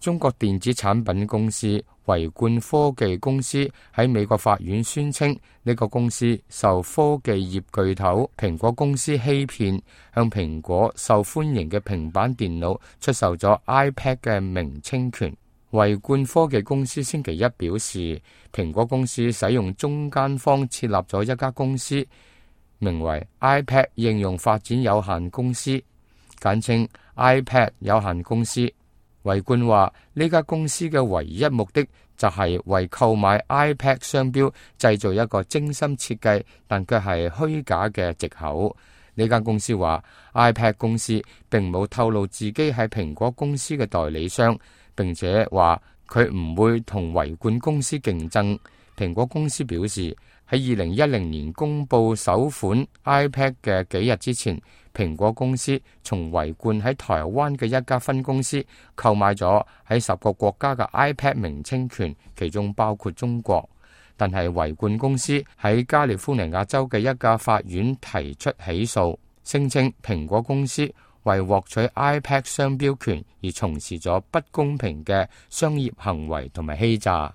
中國電子產品公司維冠科技公司喺美國法院宣稱，呢個公司受科技業巨頭蘋果公司欺騙，向蘋果受歡迎嘅平板電腦出售咗 iPad 嘅名稱權。維冠科技公司星期一表示，蘋果公司使用中間方設立咗一家公司，名為 iPad 應用發展有限公司，簡稱 iPad 有限公司。維冠話，呢家公司嘅唯一目的就係為購買 iPad 商標製造一個精心設計但卻係虛假嘅藉口。呢間公司話 iPad 公司並冇透露自己係蘋果公司嘅代理商，並且話佢唔會同維冠公司競爭。蘋果公司表示，喺2010年公布首款 iPad 嘅幾日之前，蘋果公司從維冠喺台灣嘅一家分公司購買咗喺10個國家嘅 iPad 名稱權，其中包括中國。但係維冠公司喺加利福尼亞州嘅一家法院提出起訴，聲稱蘋果公司為獲取 iPad 商標權而從事咗不公平嘅商業行為同埋欺詐。